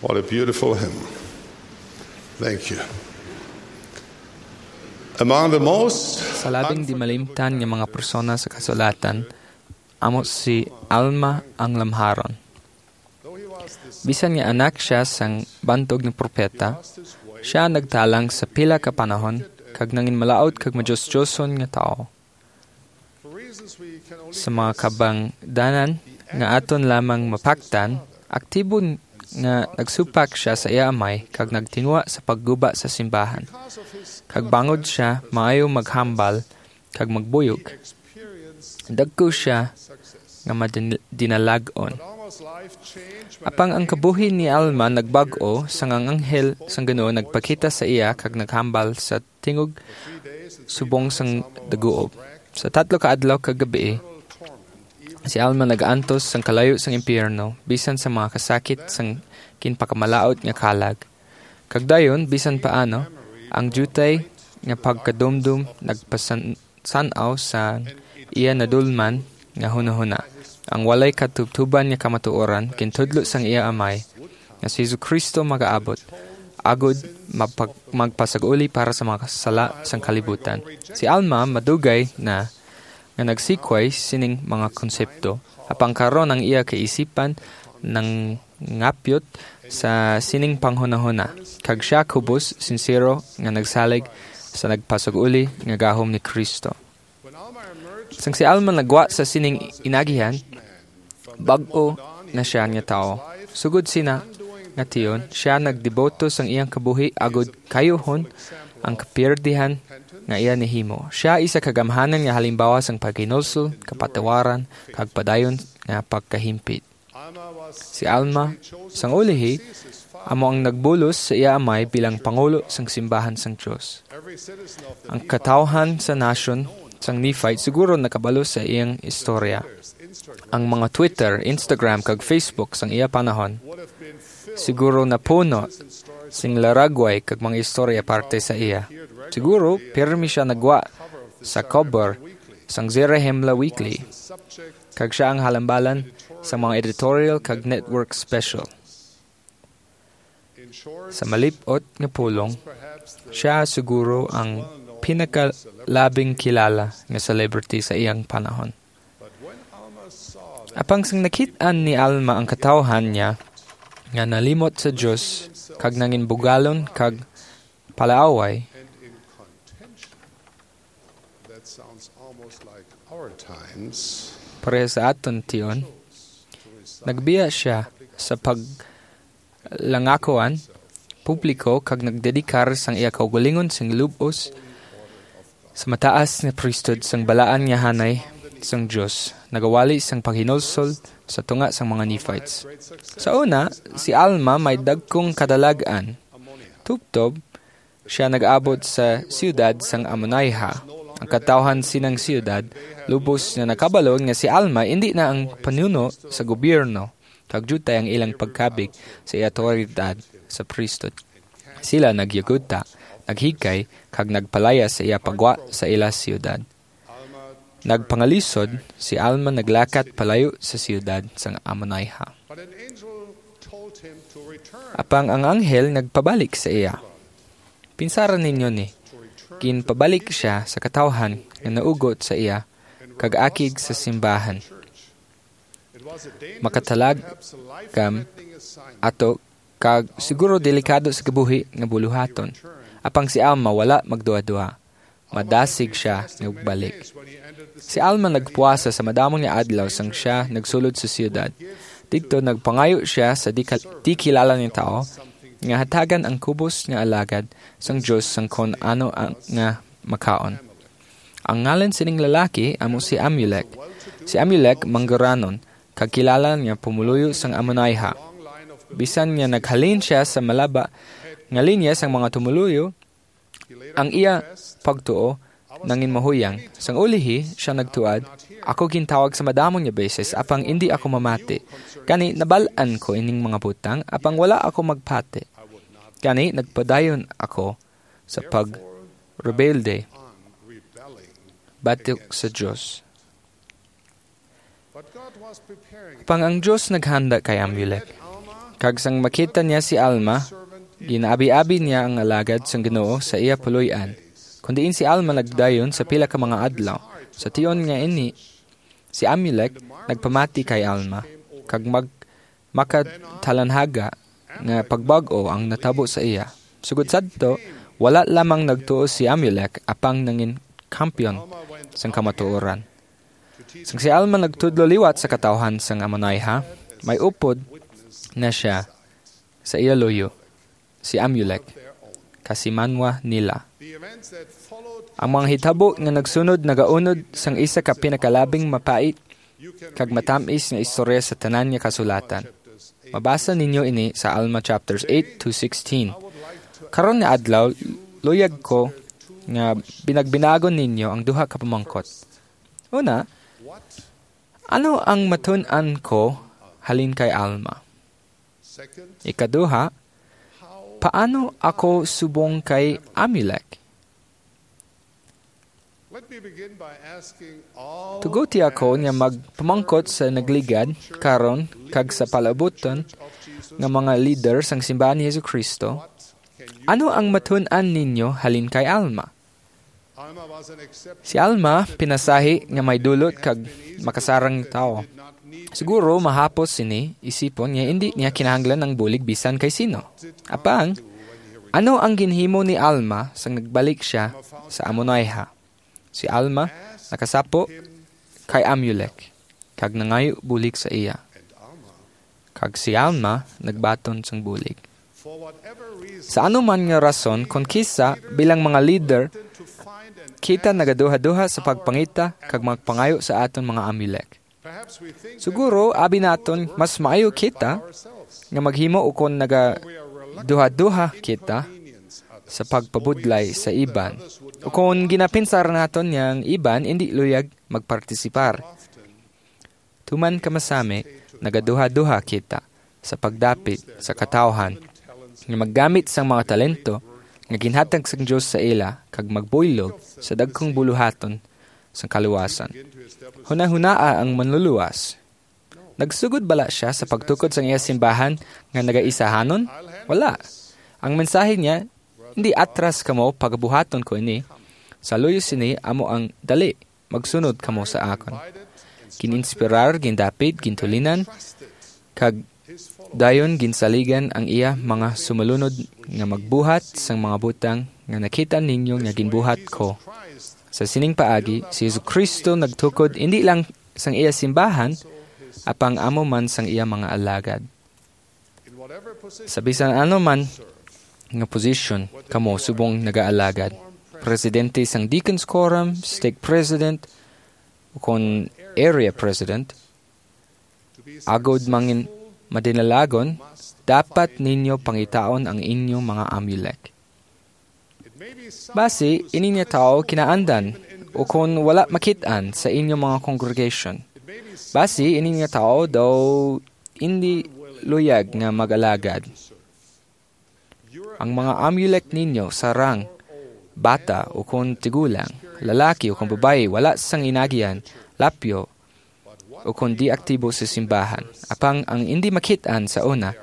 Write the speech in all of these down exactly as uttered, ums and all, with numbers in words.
What a beautiful hymn. Thank you. Among the most Sa labing di malimtan nga mga persona sa kasulatan, amo si Alma ang lamharon. Bisan nga anak siya sang bantog nga propeta, siya nagtalang sa pila ka panahon kag nangin malaut kag madiosdioson nga tawo. Sa mga kabangdanan nga aton lamang mapaktan, aktibo nga nagsupak siya sa iya amay kag nagtinguha sa pagguba sa simbahan. Kag bangod siya maayo maghambal kag magbuyog, dagko siya nga madin-, dinalag-on. Apang ang kabuhi ni Alma nagbag-o sang ang anghel sang Ginoo nagpakita sa iya kag naghambal sa tingog subong sang daguob. Sa tatlo ka adlaw kag gabii, si Alma nag-antos sang kalayo sang impiyerno, bisan sa mga kasakit sang ginpakamalaut nga kalag. Kag dayon, bisan paano, ang diutay nga pagkadumdom nagpasan-, san-aw sa iya nadulman nga hunahuna. Ang walay katubtuban nga kamatuoran gintudlo sang iya amay nga si Jesu-Cristo magaabot agud mapag-, magpasag-uli para sa mga sala sang kalibutan. Si Alma madugay na nga nagsikway sining mga konsepto, apang karon ang iya kaisipan nang ngapyot sa sining panghunahuna, kag siya kubos, sinsero nga nagsalig sa nagpasag-uli nga gahom ni Cristo. Sang si Alma nagwa sa sining inagihan, bag-o na siya nga tawo. Sugod sina nga tion, siya nagdeboto sang iyang kabuhi agud kayuhon ang kapiyerdihan nga iya nahimo. Siya isa ka gamhanan nga halimbawa sang paghinulsol, kapatawaran, kag padayon nga pagkahimpit. Si Alma, sang ulihi, amo ang nagbulos sa iya amay bilang pangulo sang simbahan sang Dios. Ang katawhan sa nasyon sang Nephite siguro nakabalo sa iyang istorya. Ang mga Twitter, Instagram, kag Facebook sang iya panahon siguro napuno sing laragway kag mga istorya parte sa iya. Siguro, pirmi siya nagwa sa cover sang Zarahemla Weekly, kag siya ang halambalan sa mga editorial kag network special. Sa malip-ot nga pulong, siya siguro ang pinakalabing kilala nga celebrity sa iyang panahon. Apang sang nakit-an ni Alma ang katawhan niya nga nalimot sa Dios kag nangin bugalon kag palaaway, That sounds almost like our times. Pareha sa aton tion, nagbiya siya sa paglangakuan publiko kag nagdedikar sang iya kaugalingon sing lub-os sa mataas nga priesthood sang balaan nga hanay sang Dios. Nagawali sang paghinulsol sa tunga sang mga Nephites. Sa una, si Alma may dagkong kadalag-an. Tubtob, siya nag-abot sa siyudad sang Ammonihah. Ang katawhan sinang siyudad lubos na nakabalo nga si Alma indi na ang panuno sa gobyerno, kag diutay ang ilang pagkabig sa iya awtoridad sa priesthood. Sila nagyugudta, naghikay, kag nagpalayas sa iya pagwa sa ila siyudad. Nagpangalisod, si Alma naglakat palayo sa siyudad sang Ammonihah. But an angel told him to return. Apang ang anghel nagpabalik sa iya. Pinsara ninyo ni, ginpabalik siya sa katawhan nga naugot sa iya kag akig sa simbahan. It was a dangerous, perhaps a life-threatening assignment. Makatalagam ato kag siguro delikado sa kabuhi nga buluhaton. Apang si Alma wala magduha-duha. Madasig siya nga magbalik. Si Alma nagpuasa sa madamo nga adlaw sang siya nagsulod sa siyudad. Didto nagpangayo siya sa di, ka, di kilala nga tawo nga hatagan ang kubos nga alagad sang Dios sang kon ano ang, nga makaon. Ang ngalan sining lalaki amo si Amulek. Si Amulek mangguranon kag kilala nga pumuluyo sang Ammonihah. Bisan nga naghalin siya sa malaba nga linya sang mga tumuluyo, ang iya pagtuo nangin mahuyang. Sang ulihi, siya nagtuad, "Ako gintawag sa madamo nga beses, apang indi ako mamati. Gani, nabal-an ko ining mga butang, apang wala ako magpati. Gani, nagpadayon ako sa pagrebelde batok sa Dios." Apang ang Dios naghanda kay Amulek. Kag sang makita niya si Alma, ginaabi-abi niya ang alagad sang Ginoo sa iya puloy-an. Kun diin si Alma nagdayon sa pila ka mga adlaw. Sa tion nga ini, si Amulek nagpamati kay Alma, kag mag-, makatalanhaga nga pagbag-o ang natabo sa iya. Sugod sadto, wala lamang nagtuo si Amulek, apang nangin kampiyon sang kamatuoran. Sang si Alma nagtudlo liwat sa katawhan sang Amonaiha, may upod na siya sa iya luyo, si Amulek, kasimanwa nila. Ang mga hitabo nga nagsunod nagaunod sang isa ka pinakalabing mapait kag matamis nga istorya sa tanan nga kasulatan. Mabasa ninyo ini sa Alma chapters eight to sixteen. Karon nga adlaw, luyag ko nga binagbinagon ninyo ang duha ka pamangkot. Una, ano ang matun-an ko halin kay Alma? Ikaduha, paano ako subong kay Amulek? Tuguti ako nga magpamangkot sa nagligad karon kag sa palaabuton nga mga leader sang Simbahan ni Jesu-Cristo, ano ang matun-an ninyo halin kay Alma? Si Alma pinasahi nga may dulot kag makasarang tawo. Siguro mahapos sini isipon nga indi niya kinahanglan ang bulig bisan kay sino. Apang, ano ang ginhimo ni Alma sang nagbalik siya sa Amonaiha? Si Alma nakasapo kay Amulek kag nangayo bulig sa iya. Kag si Alma nagbaton sang bulig. Sa ano man nga rason, kon kisa bilang mga leader, kita nagaduha-duha sa pagpangita kag magpangayo sa aton mga Amulek. Siguro, abi naton, mas maayo kita nga maghimo ukon nagaduha-duha kita sa pagpabudlay sa iban. Ukon ginapinsar naton nga ang iban indi luyag magpartisipar. Tuman ka masami, nagaduha-duha kita sa pagdapit sa katawhan nga maggamit sang mga talento nga ginhatag sang Dios sa ila kag magbuylog sa dagkong buluhaton sang kaluwasan. Hunahunaa ang manluluwas. Nagsugod bala sia sa pagtukod sang iya simbahan nga nagaisahanon? Wala. Ang mensahe niya, "Hindi atras kamo, pagabuhaton ko ini. Sa luyo sini amo ang dali, magsunod kamo sa akon." Gininspirar, gindapit, gintulinan, kag dayon ginsaligan ang iya mga sumulunod nga magbuhat sang mga butang nga nakita ninyo nga ginbuhat ko. Sa sining paagi, si Jesu-Cristo nagtukod indi lang sang iya simbahan, apang amo man sang iya mga alagad. Sa bisan ano man nga posisyon kamo subong nagaalagad, presidente sang Deacons Quorum, stake president, ukon area president, agod mangin madinalagon, dapat ninyo pangitaon ang inyo mga Amulek. Basi, ini nga tawo kinaandan, ukon wala makit-an sa inyo mga congregation. Basi, ini nga tawo daw indi luyag nga mag-alagad. Ang mga Amulek ninyo sarang bata ukon tigulang, lalaki ukon babayi, wala sang inagihan, lapyo, ukon di aktibo sa simbahan. Apang ang indi makit-an sa una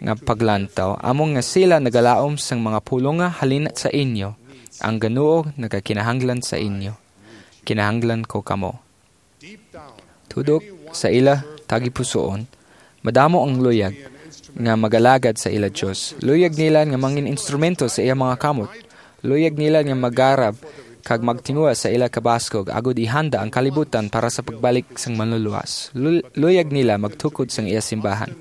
nga paglantaw, amo nga sila nagalaom sang mga pulong nga halin sa inyo. Ang Ginoo nagakinahanglan sa inyo. Kinahanglan ko kamo. Tudok sa ila tagipusoon, madamo ang luyag nga magalagad sa ila Dios. Luyag nila nga mangin instrumento sa iya mga kamot. Luyag nila nga magarab kag magtinguha sa ila kabaskog agod ihanda ang kalibutan para sa pagbalik sang Manluluwas. Lu-, luyag nila magtukod sang iya simbahan.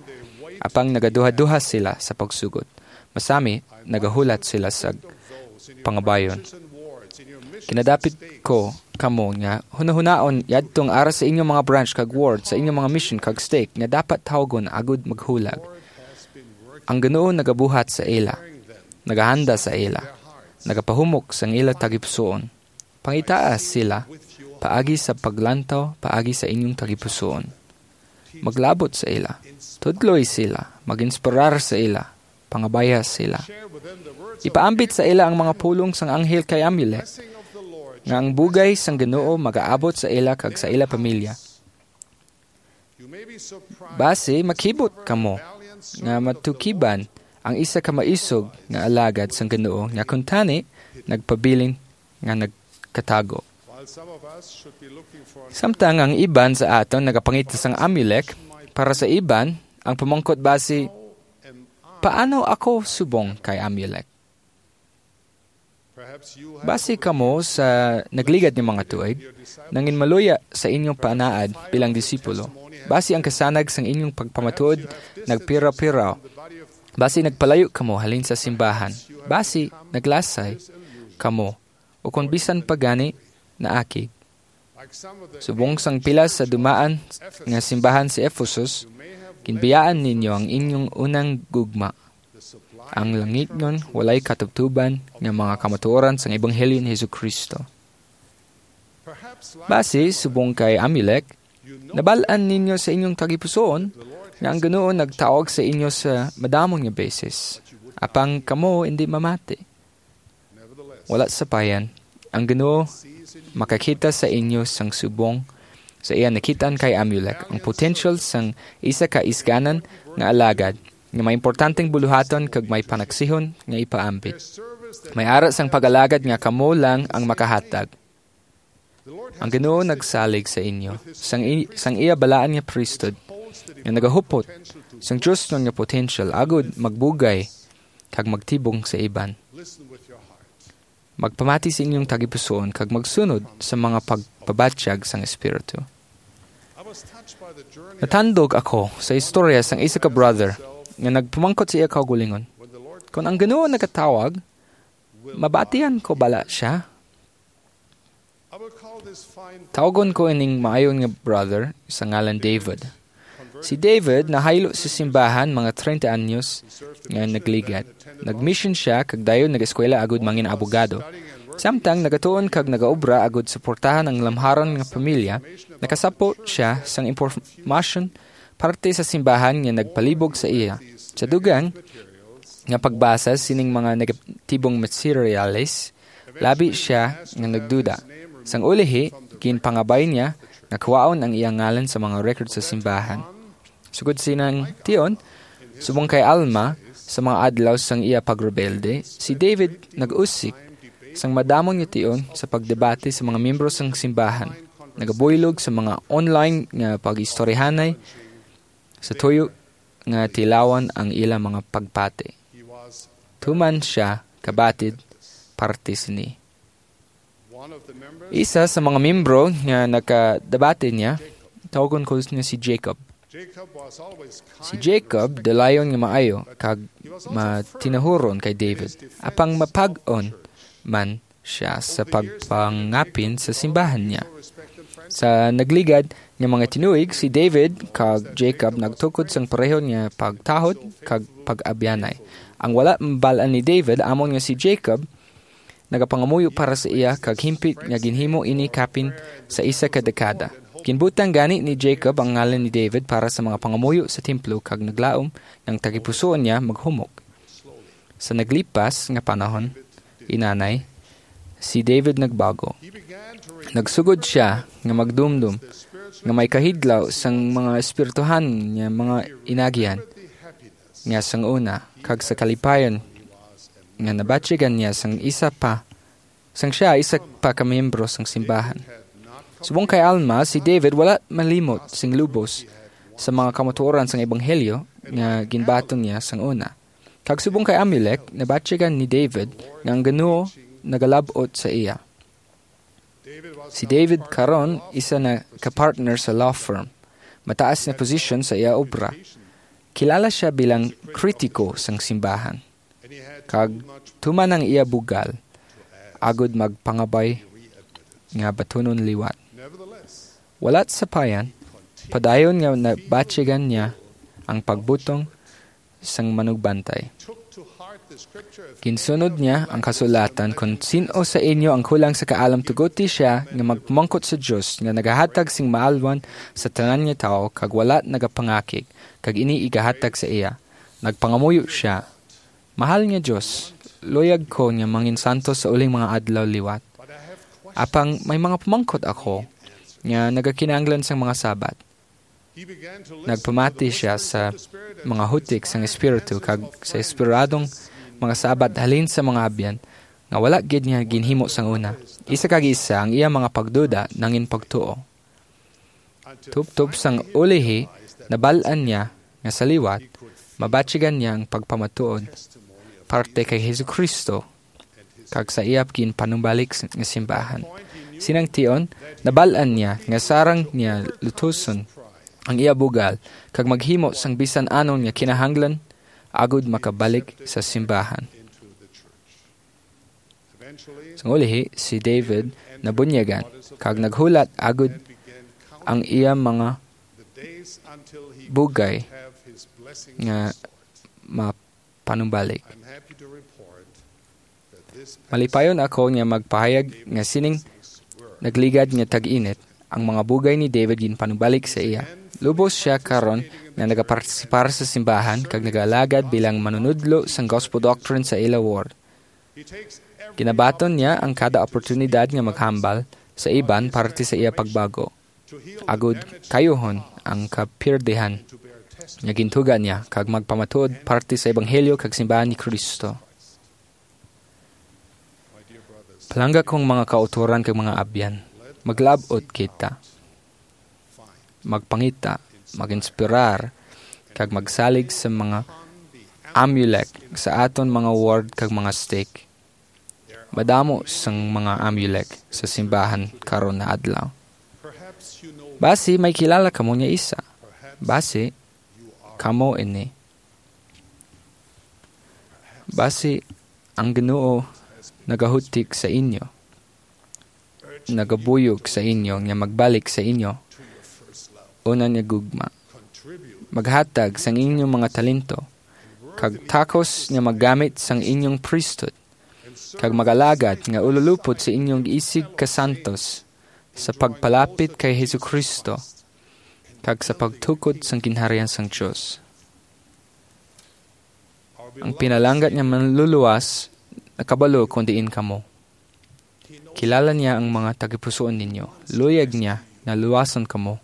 Apang nagaduha-duha sila sa pagsugod. Masami, nagahulat sila sa pangabayon. Kinadapit ko kamo nga hunahunaon yadtong ara sa inyong mga branch kag ward, sa inyong mga mission kag stake nga dapat tawgon agud maghulag. Ang Ginoo nagabuhat sa ila, nagahanda sa ila, nagapahumok sang ila tagipusoon. Pangitaa sila paagi sa paglantaw paagi sa inyong tagipusoon. Maglabot sa ila, tudloy sila, mag-inspirar sa ila, pangabaya sila. Ipaambit sa ila ang mga pulong sang anghel kay Amulek, nga ang bugay sang Ginoo magaabot sa ila kag sa ila pamilya. Basi makibot kamo nga matukiban ang isa ka maisog nga alagad sang Ginoo nga kuntani nagpabilin nga nagkatago. Samtang ang iban sa aton nagapangita sang Amulek, para sa iban, ang pamangkot basi, "Paano ako subong kay Amulek?" Basi kamo sa nagligad nga mga tuig, nangin maluya sa inyong panaad bilang disipulo. Basi ang kasanag sang inyong pagpamatuod nagpiraw-piraw. Basi nagpalayo kamo halin sa simbahan. Basi naglasay kamo, o kon bisan pa gani naakig. Subong sang pila sa dumaan nga simbahan sa Ephesus, ginbiyaan ninyo ang inyong unang gugma, ang langitnon walay katubtuban nga mga kamatuoran sang ebanghelyo ni Jesu-Cristo. Basi, subong kay Amulek, nabal-an ninyo sa inyong tagipusoon nga ang Ginoo nagtawag sa inyo sa madamon nga beses, apang kamo indi mamati. Wala sapayan, ang Ginoo makakita sa inyo sang subong sa iya nakitaan kay Amulek, ang potential sang isa ka isganan nga alagad nga may importanteng buluhaton kag may panaksihon nga ipaambit. May ara sang pag-alagad nga kamo lang ang makahatag. Ang Ginoo nagsalig sa inyo sang, i- sang iya balaan nga priesthood nga nagahupot sang Dios nga potential agud magbugay kag magtibong sa iban. Magpamati sa inyong tagipusoon kag magsunod sa mga pagpabatyag sang Espiritu. Natandog ako sa istorya sang isa ka brother nga nagpamangkot sa iya kaugalingon, "Kon ang Ginoo nagatawag, mabatian ko bala siya?" Tawgon ko ining maayo nga brother sa ngalan David. Si David nahaylo sa simbahan mga treinta anyos nga nagligad. Nagmission siya kag dayon nag-eskwela agud mangin abogado. Samtang nagatuon kag nagaobra agud suportahan ang lamharon nga pamilya, nakasapo siya sang impormasyon parte sa simbahan nga nagpalibog sa iya. Sa dugang nga pagbasa sining mga negatibong materyales, labi sia nga nagduda. Sang ulihi, ginpangabay niya nga kuhaon ang iya ngalan sa mga record sa simbahan. Sugod sinang tion, subong kay Alma, sa mga adlaw sang iya pagrebelde, si David nag-usik sang madamon nga tion sa pagdebate sa mga miyembro sang simbahan, nagabuylog sa mga online nga pag-istoryahanay sa tuyo nga tilawan ang ila mga pagpati. Tuman sia kabatid parte sini. Isa sa mga miyembro nga nakadabati niya, tawgon ko niya si Jacob. Si Jacob, dalayon nga maayo kag matinahuron kay David, apang mapag-on man siya sa pagpangapin sa simbahan niya. Sa nagligad nga mga tinuig, si David kag Jacob nagtukod sang pareho nga pagtahod kag pag-abyanay. Ang wala mabal-an ni David amon nga si Jacob nagapangamuyo para sa iya, kag himpit nga ginhimo ini kapin sa isa ka dekada. Ginbutang gani ni Jacob ang ngalan ni David para sa mga pangamuyo sa templo kag naglaom nga ang tagipusoon niya maghumok. Sa naglipas nga panahon, inanay, si David nagbago. Nagsugod sia nga magdumdom nga may kahidlaw sang mga espirituhan nga mga inagihan nga sang una, kag sa kalipayon nga nabatyagan niya sang isa pa, sang siya isa pa ka miyembro sang simbahan. Subong kay Alma, si David wala malimot sing lubos sa mga kamatuoran sang ebanghelyo nga ginbaton niya sang una. Kag subong kay Amulek, nabatyagan ni David nga ang Ginoo nagalab-ot sa iya. Si David karon isa na ka partner sa law firm. Mataas na posisyon sa iya obra. Kilala siya bilang kritiko sang simbahan. Kag tuman ang iya bugal, agud magpangabay nga batunon liwat. Wala sapayan, padayon nga nabatyagan niya ang pagbutong sang manugbantay. Ginsunod niya ang kasulatan, "Kon sin-o sa inyo ang kulang sa kaalam, tuguti sia nga magpamangkot sa Dios nga nagahatag sing maalwan sa tanan nga tawo, kag wala nagapangakig, kag ini igahatag sa iya." Nagpangamuyo sia, "Mahal nga Dios, luyag ko nga manginsantos sa uling mga adlaw liwat. Apang may mga pamangkot ako nga nagakinahanglan sang mga sabat." Nagpamati siya sa mga hutik sang Espiritu kag sa inspiradong mga sabat halin sa mga abyan nga wala gid niya ginhimo sang una. Isa kag isa ang iya mga pagduda nangin pagtuo. Tubtob sang ulihi, nabal-an niya nga sa liwat, mabatyagan niya ang pagpamatuod parte kay Jesu-Cristo kag sa iya ginpanumbalik s-, nga simbahan. Sinang tion, nabal-an niya nga sarang niya lutuson ang iya bugal kag maghimo sang bisan anon nga kinahanglan agud makabalik sa simbahan. Sang ulihi, si David nabunyagan kag naghulat agud ang iya mga bugay nga mapanumbalik. Malipayon ako nga magpahayag nga sining nagligad nga tag-init, ang mga bugay ni David ginpanumbalik sa iya. Lubos sia karon nga nagapartisipar sa simbahan kag nagaalagad bilang manunudlo sang gospel doctrine sa ila ward. Ginabaton niya ang kada oportunidad nga maghambal sa iban parte sa iya pagbago, agud kayuhon ang kapirdihan nga gintuga niya kag magpamatuod parte sa ebanghelyo kag simbahan ni Cristo. Palangga kong mga kautoran kag mga abyan, maglab-ot kita, magpangita, mag-inspirar, kag magsalig sa mga Amulek sa aton mga ward kag mga stake. Madamo sang mga Amulek sa simbahan karon nga adlaw. Basi may kilala kamo nga isa. Basi kamo ini. Basi ang Ginoo nagahutik sa inyo, nagabuyog sa inyo nga magbalik sa inyo una nga gugma. Maghatag sang inyong mga talento kag takos nga maggamit sang inyong priesthood, kag magalagad nga ululupod sa inyong isig kasantos sa pagpalapit kay Jesu-Cristo kag sa pagtukod sang Ginharian sang Dios. Ang pinalangga nga Manluluwas nakabalo kon diin kamo. Kilala niya ang mga tagipusoon ninyo. Luyag niya nga luwason kamo,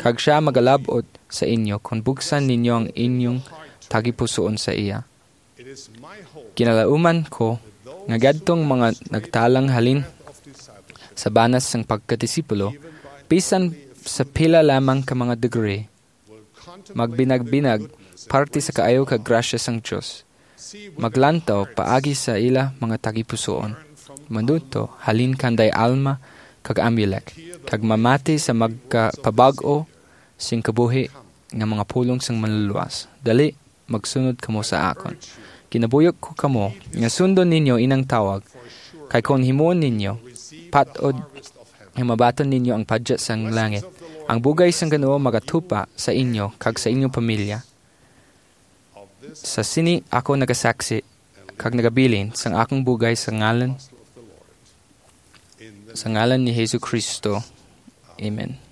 kag sia magalab-ot sa inyo kon buksan ninyo ang inyong tagipusoon sa iya. Kinalauman ko nga gadtong mga nagtalang halin sa banas sang pagkadisipulo, bisan sa pila lamang ka mga degree, magbinagbinag parte sa kaayo kag grasya sang Dios. Maglantaw paagi sa ila mga tagipusoon. Manuto halin kanday Alma kag Amulek, kag mamati sa magkapabag-o sing kabuhi nga mga pulong sang Manluluwas. Dali, magsunod kamo sa akon. Ginabuyok ko kamo nga sundon ninyo inang tawag, kay kon himuon ninyo, patod nga mabaton ninyo ang padya sang langit. Ang bugay sang Ginoo magatupa sa inyo kag sa inyong pamilya. Sa sini ako nagasaksi kag nagabilin sang akong bugay sa ngalan, sa ngalan ni Jesu-Cristo. Amen.